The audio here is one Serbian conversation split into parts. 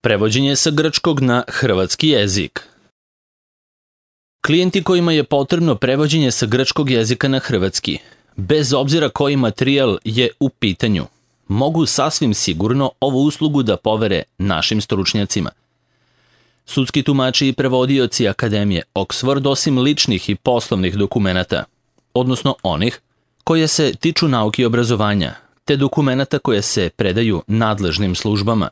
Prevođenje sa grčkog na hrvatski jezik. Klijenti kojima je potrebno prevođenje sa grčkog jezika na hrvatski, bez obzira koji materijal je u pitanju, mogu sasvim sigurno ovu uslugu da povere našim stručnjacima. Sudski tumači i prevodioci Akademije Oxford, osim ličnih i poslovnih dokumenata, odnosno onih koje se tiču nauke i obrazovanja, te dokumenata koje se predaju nadležnim službama,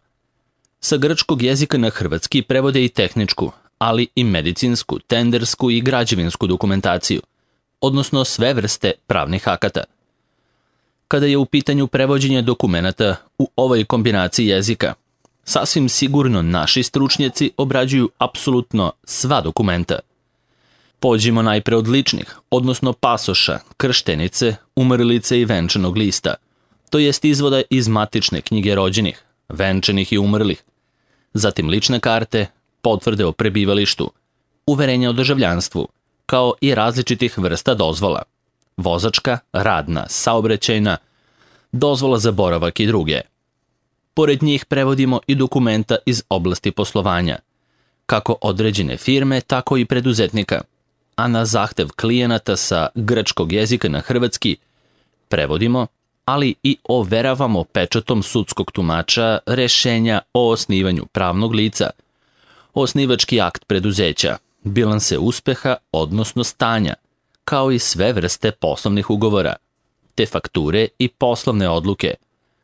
sa grčkog jezika na hrvatski prevode i tehničku, ali i medicinsku, tendersku i građevinsku dokumentaciju, odnosno sve vrste pravnih akata. Kada je u pitanju prevođenje dokumenata u ovoj kombinaciji jezika, sasvim sigurno naši stručnjaci obrađuju apsolutno sva dokumenta. Pođimo najpre od ličnih, odnosno pasoša, krštenice, umrlice i venčanog lista, to jest izvoda iz matične knjige rođenih, venčanih i umrlih, zatim lične karte, potvrde o prebivalištu, uverenja o državljanstvu, kao i različitih vrsta dozvola, vozačka, radna, saobraćajna, dozvola za boravak i druge. Pored njih prevodimo i dokumenta iz oblasti poslovanja, kako određene firme, tako i preduzetnika, a na zahtev klijenata sa grčkog jezika na hrvatski prevodimo, ali i overavamo pečatom sudskog tumača rešenja o osnivanju pravnog lica, osnivački akt preduzeća, bilanse uspeha, odnosno stanja, kao i sve vrste poslovnih ugovora, te fakture i poslovne odluke,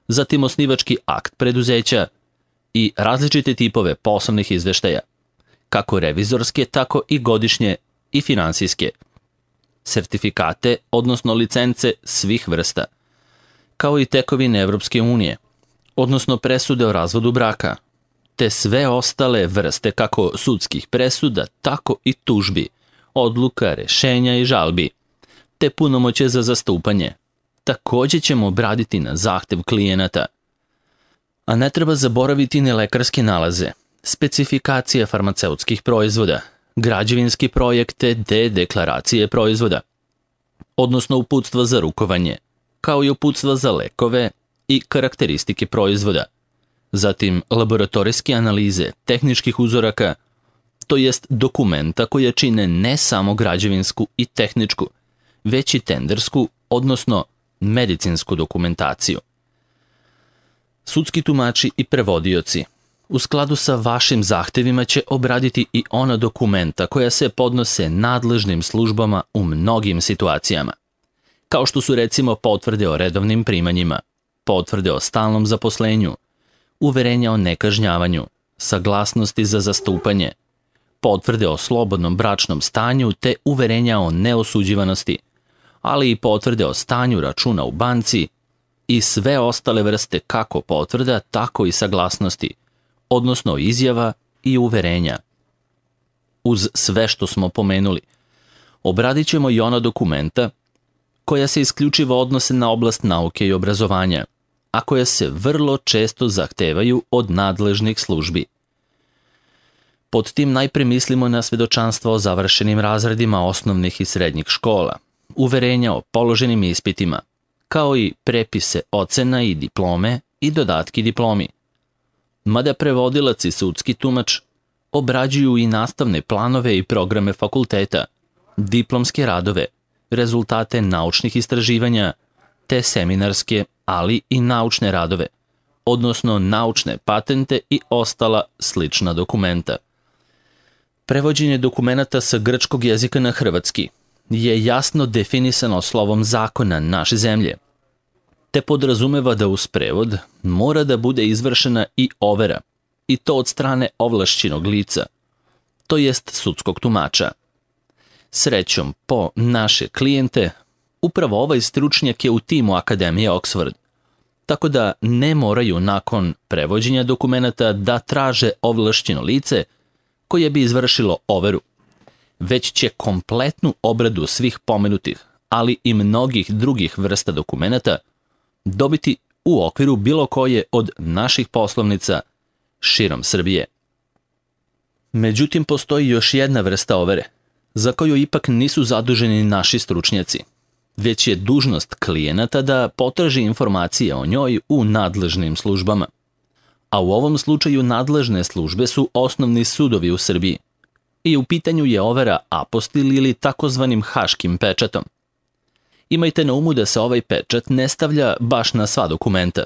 zatim osnivački akt preduzeća i različite tipove poslovnih izveštaja, kako revizorske, tako i godišnje i finansijske, sertifikate, odnosno licence svih vrsta, kao i tekovine Evropske unije, odnosno presude o razvodu braka, te sve ostale vrste kako sudskih presuda, tako i tužbi, odluka, rešenja i žalbi, te punomoćje za zastupanje. Takođe ćemo obraditi na zahtev klijenata. A ne treba zaboraviti ni lekarske nalaze, specifikacije farmaceutskih proizvoda, građevinski projekte te deklaracije proizvoda, odnosno uputstva za rukovanje, kao i uputstva za lekove i karakteristike proizvoda, zatim laboratorijske analize tehničkih uzoraka, to jest dokumenta koje čine ne samo građevinsku i tehničku, već i tendersku, odnosno medicinsku dokumentaciju. Sudski tumači i prevodioci u skladu sa vašim zahtevima će obraditi i ona dokumenta koja se podnose nadležnim službama u mnogim situacijama, kao što su recimo potvrde o redovnim primanjima, potvrde o stalnom zaposlenju, uverenja o nekažnjavanju, saglasnosti za zastupanje, potvrde o slobodnom bračnom stanju te uverenja o neosuđivanosti, ali i potvrde o stanju računa u banci i sve ostale vrste kako potvrda, tako i saglasnosti, odnosno izjava i uverenja. Uz sve što smo pomenuli, obradit ćemo i ona dokumenta koja se isključivo odnose na oblast nauke i obrazovanja, a koja se vrlo često zahtevaju od nadležnih službi. Pod tim najpre mislimo na svedočanstva o završenim razredima osnovnih i srednjih škola, uverenja o položenim ispitima, kao i prepise ocena i diplome i dodatki diplomi. Mada prevodilac i sudski tumač obrađuju i nastavne planove i programe fakulteta, diplomske radove, rezultate naučnih istraživanja, te seminarske, ali i naučne radove, odnosno naučne patente i ostala slična dokumenta. Prevođenje dokumenata sa grčkog jezika na hrvatski je jasno definisano slovom zakona naše zemlje, te podrazumeva da uz prevod mora da bude izvršena i overa, i to od strane ovlašćenog lica, to jest sudskog tumača. Srećom po naše klijente, upravo ovaj stručnjak je u timu Akademije Oxford, tako da ne moraju nakon prevođenja dokumenata da traže ovlašćeno lice koje bi izvršilo overu, već će kompletnu obradu svih pomenutih, ali i mnogih drugih vrsta dokumenata dobiti u okviru bilo koje od naših poslovnica širom Srbije. Međutim, postoji još jedna vrsta overe, za koju ipak nisu zaduženi naši stručnjaci, već je dužnost klijenata da potraži informacije o njoj u nadležnim službama. a u ovom slučaju nadležne službe su osnovni sudovi u Srbiji. I u pitanju je overa apostil ili takozvanim haškim pečatom. Imajte na umu da se ovaj pečat ne stavlja baš na sva dokumenta,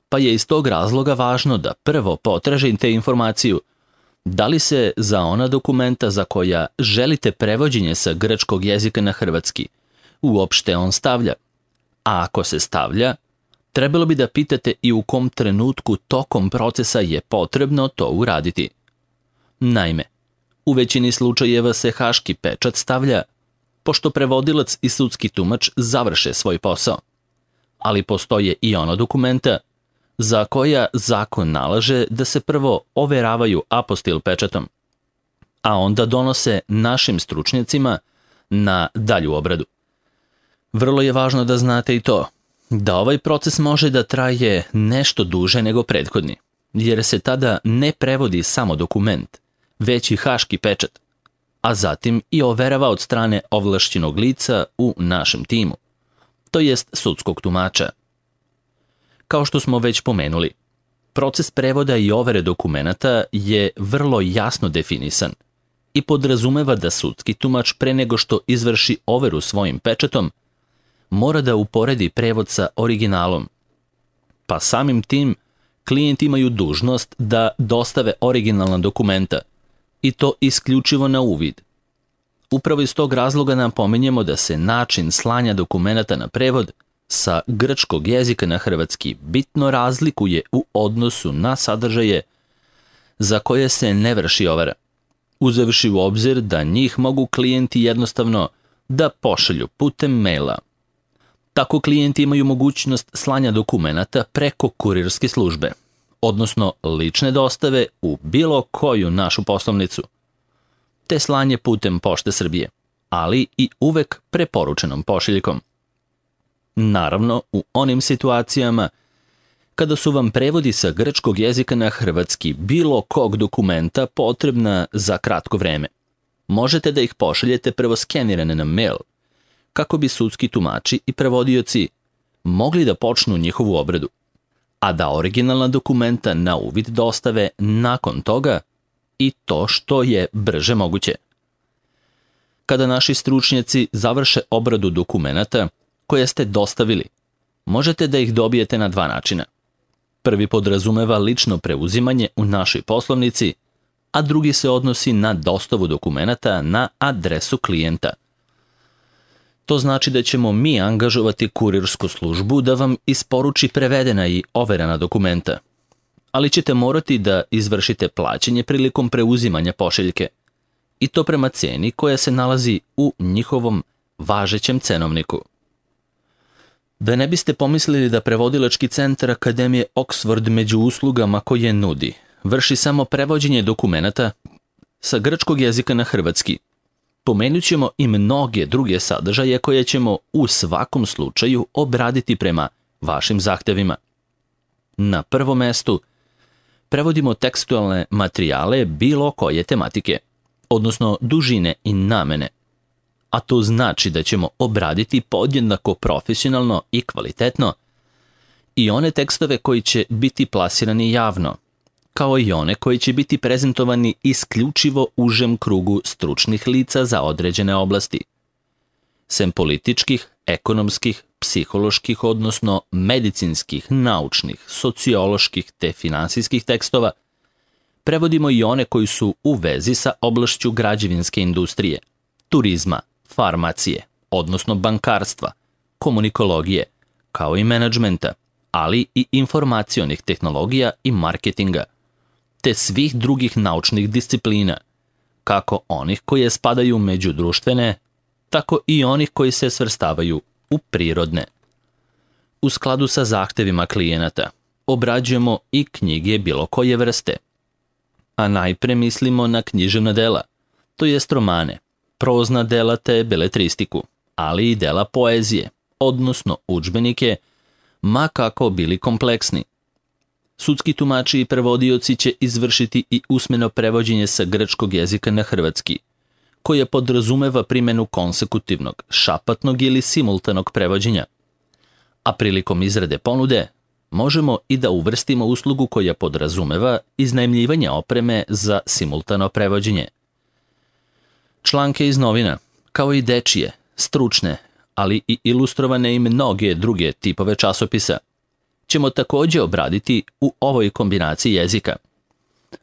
pa je iz tog razloga važno da prvo potražite informaciju da li se za ona dokumenta za koja želite prevođenje sa grčkog jezika na hrvatski uopšte on stavlja. A ako se stavlja, trebalo bi da pitate i u kom trenutku tokom procesa je potrebno to uraditi. Naime, u većini slučajeva se haški pečat stavlja pošto prevodilac i sudski tumač završe svoj posao. Ali postoje i ono dokumenta za koja zakon nalaže da se prvo overavaju apostil pečatom, a onda donose našim stručnjacima na dalju obradu. Vrlo je važno da znate i to, da ovaj proces može da traje nešto duže nego prethodni, jer se tada ne prevodi samo dokument, već i haški pečat, a zatim i overava od strane ovlašćenog lica u našem timu, to jest sudskog tumača. Kao što smo već pomenuli, proces prevoda i overe dokumenata je vrlo jasno definisan i podrazumeva da sudski tumač pre nego što izvrši overu svojim pečatom, mora da uporedi prevod sa originalom. Pa samim tim, klijenti imaju dužnost da dostave originalna dokumenta i to isključivo na uvid. Upravo iz tog razloga napominjemo da se način slanja dokumenata na prevod sa grčkog jezika na hrvatski bitno razlikuje u odnosu na sadržaje za koje se ne vrši overa, uzevši u obzir da njih mogu klijenti jednostavno da pošalju putem maila. Tako klijenti imaju mogućnost slanja dokumenata preko kurirske službe, odnosno lične dostave u bilo koju našu poslovnicu, te slanje putem Pošte Srbije, ali i uvek preporučenom pošiljkom. Naravno, u onim situacijama kada su vam prevodi sa grčkog jezika na hrvatski bilo kog dokumenta potrebna za kratko vreme, možete da ih pošaljete prvo skenirane na mail, kako bi sudski tumači i prevodioci mogli da počnu njihovu obradu, a da originalna dokumenta na uvid dostave nakon toga i to što je brže moguće. Kada naši stručnjaci završe obradu dokumenata koje ste dostavili, možete da ih dobijete na dva načina. Prvi podrazumeva lično preuzimanje u našoj poslovnici, a drugi se odnosi na dostavu dokumenata na adresu klijenta. To znači da ćemo mi angažovati kurirsku službu da vam isporuči prevedena i overena dokumenta, ali ćete morati da izvršite plaćanje prilikom preuzimanja pošiljke, i to prema ceni koja se nalazi u njihovom važećem cenovniku. Da ne biste pomislili da prevodilački centar Akademije Oxford među uslugama koje nudi vrši samo prevođenje dokumenata sa grčkog jezika na hrvatski, pomenut ćemo i mnoge druge sadržaje koje ćemo u svakom slučaju obraditi prema vašim zahtevima. Na prvom mestu prevodimo tekstualne materijale bilo koje tematike, odnosno dužine i namene, a to znači da ćemo obraditi podjednako profesionalno i kvalitetno i one tekstove koji će biti plasirani javno, kao i one koji će biti prezentovani isključivo užem krugu stručnih lica za određene oblasti. Sem političkih, ekonomskih, psiholoških, odnosno medicinskih, naučnih, socioloških te finansijskih tekstova, prevodimo i one koji su u vezi sa oblašću građevinske industrije, turizma, farmacije, odnosno bankarstva, komunikologije, kao i menadžmenta, ali i informacionih tehnologija i marketinga, te svih drugih naučnih disciplina, kako onih koje spadaju među društvene, tako i onih koji se svrstavaju u prirodne. U skladu sa zahtevima klijenata, obrađujemo i knjige bilo koje vrste, a najpre mislimo na književna dela, to jest romane, prozna dela te beletristiku, ali i dela poezije, odnosno udžbenike, ma kako bili kompleksni. Sudski tumači i prevodioci će izvršiti i usmeno prevođenje sa grčkog jezika na hrvatski, koje podrazumeva primjenu konsekutivnog, šapatnog ili simultanog prevođenja. A prilikom izrade ponude, možemo i da uvrstimo uslugu koja podrazumeva iznajmljivanje opreme za simultano prevođenje. Članke iz novina, kao i dečije, stručne, ali i ilustrovane i mnoge druge tipove časopisa, ćemo također obraditi u ovoj kombinaciji jezika,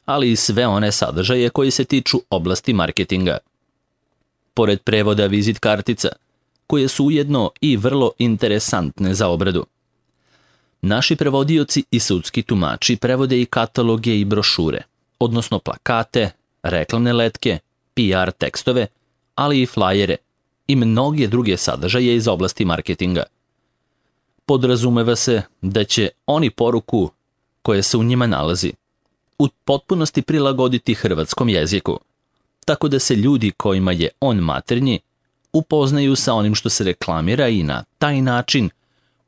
ali i sve one sadržaje koji se tiču oblasti marketinga. Pored prevoda vizit kartica, koje su ujedno i vrlo interesantne za obradu. Naši prevodioci i sudski tumači prevode i kataloge i brošure, odnosno plakate, reklamne letke, PR tekstove, ali i flajere i mnoge druge sadržaje iz oblasti marketinga. Podrazumeva se da će oni poruku koja se u njima nalazi u potpunosti prilagoditi hrvatskom jeziku, tako da se ljudi kojima je on maternji upoznaju sa onim što se reklamira i na taj način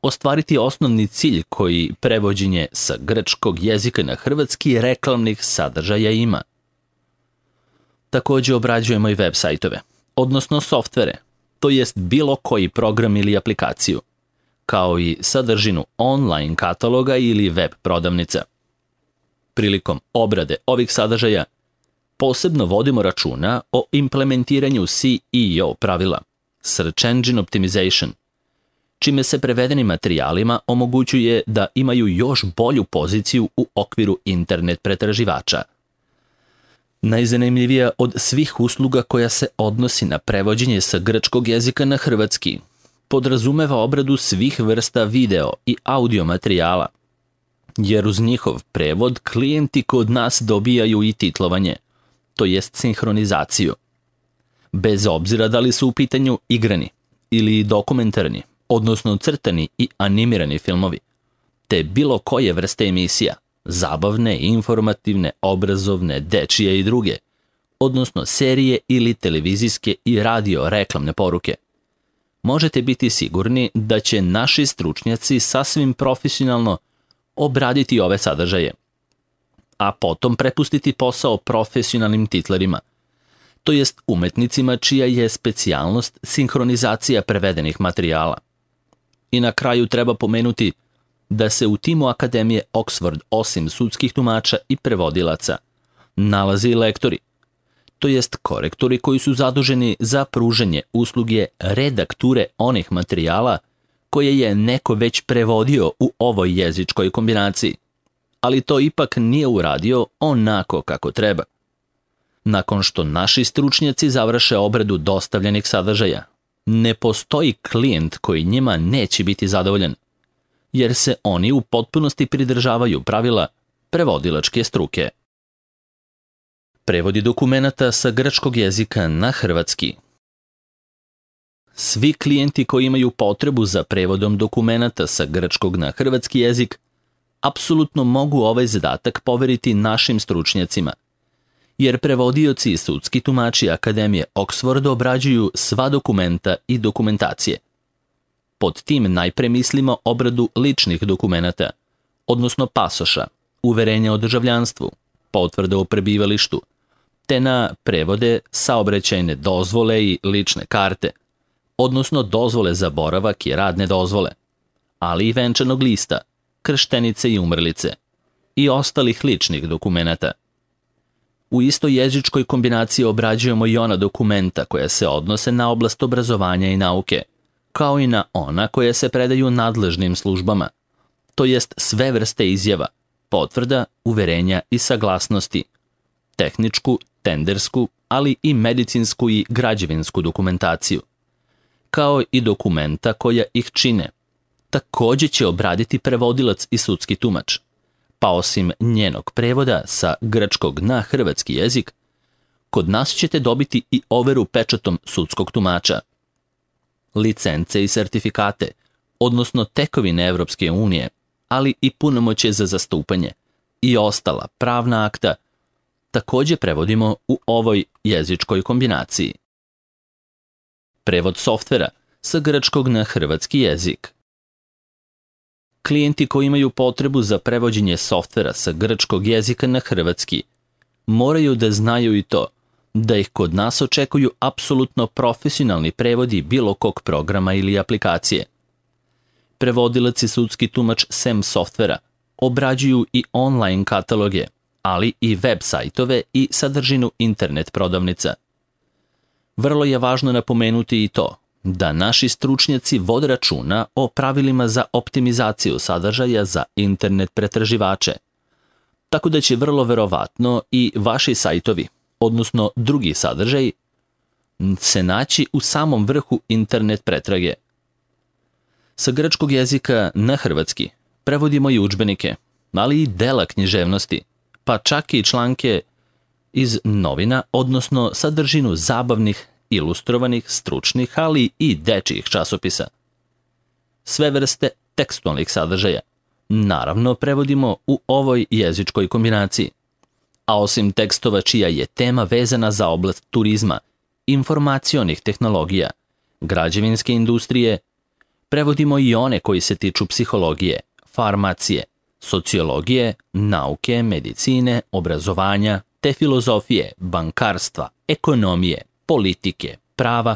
ostvariti osnovni cilj koji prevođenje sa grčkog jezika na hrvatski reklamnih sadržaja ima. Također obrađujemo i web sajtove, odnosno softvere, to jest bilo koji program ili aplikaciju, kao i sadržinu online kataloga ili web prodavnica. Prilikom obrade ovih sadržaja posebno vodimo računa o implementiranju SEO pravila, Search Engine Optimization, čime se prevedenim materijalima omogućuje da imaju još bolju poziciju u okviru internet pretraživača. Najzanimljivija od svih usluga koja se odnosi na prevođenje sa grčkog jezika na hrvatski podrazumeva obradu svih vrsta video i audio materijala, jer uz njihov prevod klijenti kod nas dobijaju i titlovanje, to jest sinhronizaciju. Bez obzira da li su u pitanju igrani ili dokumentarni, odnosno crtani i animirani filmovi, te bilo koje vrste emisija, zabavne, informativne, obrazovne, dečije i druge, odnosno serije ili televizijske i radio reklamne poruke. Možete biti sigurni da će naši stručnjaci sasvim profesionalno obraditi ove sadržaje, a potom prepustiti posao profesionalnim titlerima, to jest umetnicima čija je specijalnost sinhronizacija prevedenih materijala. I na kraju treba pomenuti da se u timu Akademije Oxford osim sudskih tumača i prevodilaca nalazi i lektori, to jest korektori koji su zaduženi za pružanje usluge redakture onih materijala koje je neko već prevodio u ovoj jezičkoj kombinaciji, ali to ipak nije uradio onako kako treba. Nakon što naši stručnjaci završe obradu dostavljenih sadržaja, ne postoji klijent koji njima neće biti zadovoljan, jer se oni u potpunosti pridržavaju pravila prevodilačke struke. Prevodi dokumenata sa grčkog jezika na hrvatski. Svi klijenti koji imaju potrebu za prevodom dokumenata sa grčkog na hrvatski jezik apsolutno mogu ovaj zadatak poveriti našim stručnjacima, jer prevodioci i sudski tumači Akademije Oxford obrađuju sva dokumenta i dokumentacije. Pod tim najpre mislimo obradu ličnih dokumenata, odnosno pasoša, uverenja o državljanstvu, potvrde o prebivalištu, te na prevode saobraćajne dozvole i lične karte, odnosno dozvole za boravak i radne dozvole, ali i venčanog lista, krštenice i umrlice i ostalih ličnih dokumenata. U istoj jezičkoj kombinaciji obrađujemo i ona dokumenta koja se odnose na oblast obrazovanja i nauke, kao i na ona koja se predaju nadležnim službama, to jest sve vrste izjava, potvrda, uverenja i saglasnosti, tehničku, tendersku, ali i medicinsku i građevinsku dokumentaciju, kao i dokumenta koja ih čine. Također će obraditi prevodilac i sudski tumač, pa osim njenog prevoda sa grčkog na hrvatski jezik, kod nas ćete dobiti i overu pečatom sudskog tumača, licence i sertifikate, odnosno tekovine Evropske unije, ali i punomoćje za zastupanje i ostala pravna akta, također prevodimo u ovoj jezičkoj kombinaciji. Prevod softvera sa grčkog na hrvatski jezik. Klijenti koji imaju potrebu za prevođenje softvera sa grčkog jezika na hrvatski moraju da znaju i to da ih kod nas očekuju apsolutno profesionalni prevodi bilo kog programa ili aplikacije. Prevodilac i sudski tumač SEM softvera obrađuju i online kataloge, ali i web sajtove i sadržinu internet prodavnica. Vrlo je važno napomenuti i to da naši stručnjaci vode računa o pravilima za optimizaciju sadržaja za internet pretraživače, tako da će vrlo verovatno i vaši sajtovi, odnosno drugi sadržaj, se naći u samom vrhu internet pretrage. Sa grčkog jezika na hrvatski prevodimo i udžbenike, ali i dela književnosti, pa čak i članke iz novina, odnosno sadržinu zabavnih, ilustrovanih, stručnih, ali i dečijih časopisa. Sve vrste tekstualnih sadržaja, naravno, prevodimo u ovoj jezičkoj kombinaciji. A osim tekstova čija je tema vezana za oblast turizma, informacionih tehnologija, građevinske industrije, prevodimo i one koji se tiču psihologije, farmacije, sociologije, nauke, medicine, obrazovanja, te filozofije, bankarstva, ekonomije, politike, prava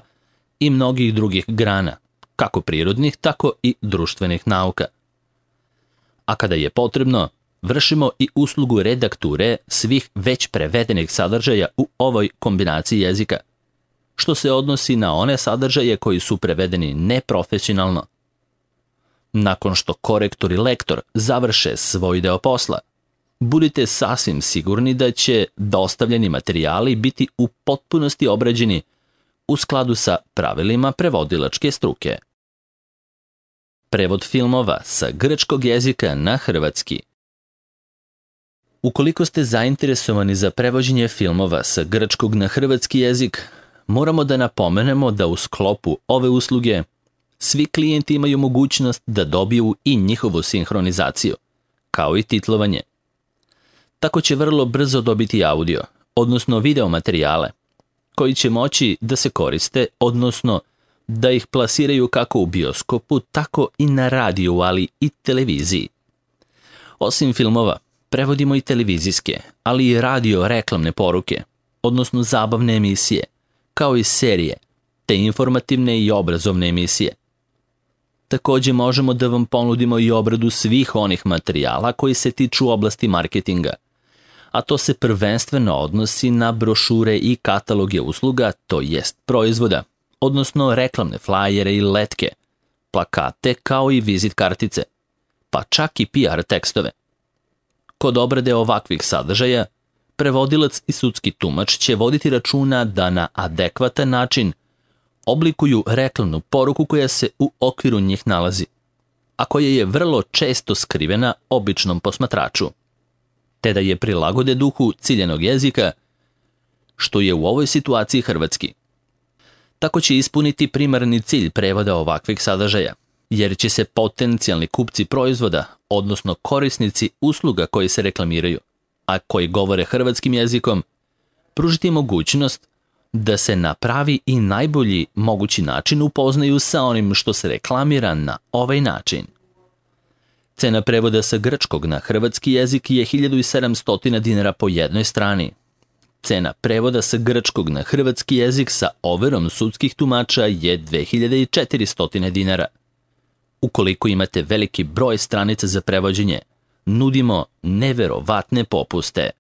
i mnogih drugih grana, kako prirodnih, tako i društvenih nauka. A kada je potrebno, vršimo i uslugu redakture svih već prevedenih sadržaja u ovoj kombinaciji jezika, što se odnosi na one sadržaje koji su prevedeni neprofesionalno. Nakon što korektor i lektor završe svoj deo posla, budite sasvim sigurni da će dostavljeni materijali biti u potpunosti obrađeni u skladu sa pravilima prevodilačke struke. Prevod filmova sa grčkog jezika na hrvatski. Ukoliko ste zainteresovani za prevođenje filmova sa grčkog na hrvatski jezik, moramo da napomenemo da u sklopu ove usluge svi klijenti imaju mogućnost da dobiju i njihovu sinhronizaciju, kao i titlovanje. Tako će vrlo brzo dobiti audio, odnosno video materijale, koji će moći da se koriste, odnosno da ih plasiraju kako u bioskopu, tako i na radiju, ali i televiziji. Osim filmova, prevodimo i televizijske, ali i radio reklamne poruke, odnosno zabavne emisije, kao i serije, te informativne i obrazovne emisije. Takođe možemo da vam ponudimo i obradu svih onih materijala koji se tiču oblasti marketinga, a to se prvenstveno odnosi na brošure i kataloge usluga, to jest proizvoda, odnosno reklamne flajere i letke, plakate kao i vizit kartice, pa čak i PR tekstove. Kod obrade ovakvih sadržaja, prevodilac i sudski tumač će voditi računa da na adekvatan način oblikuju reklamnu poruku koja se u okviru njih nalazi, a koja je vrlo često skrivena običnom posmatraču, te da je prilagode duhu ciljanog jezika, što je u ovoj situaciji hrvatski. Tako će ispuniti primarni cilj prevoda ovakvih sadržaja, jer će se potencijalni kupci proizvoda, odnosno korisnici usluga koji se reklamiraju, a koji govore hrvatskim jezikom, pružiti mogućnost da se na pravi i najbolji mogući način upoznaju sa onim što se reklamira na ovaj način. Cena prevoda sa grčkog na hrvatski jezik je 1700 dinara po jednoj strani. Cena prevoda sa grčkog na hrvatski jezik sa overom sudskih tumača je 2400 dinara. Ukoliko imate veliki broj stranica za prevođenje, nudimo neverovatne popuste.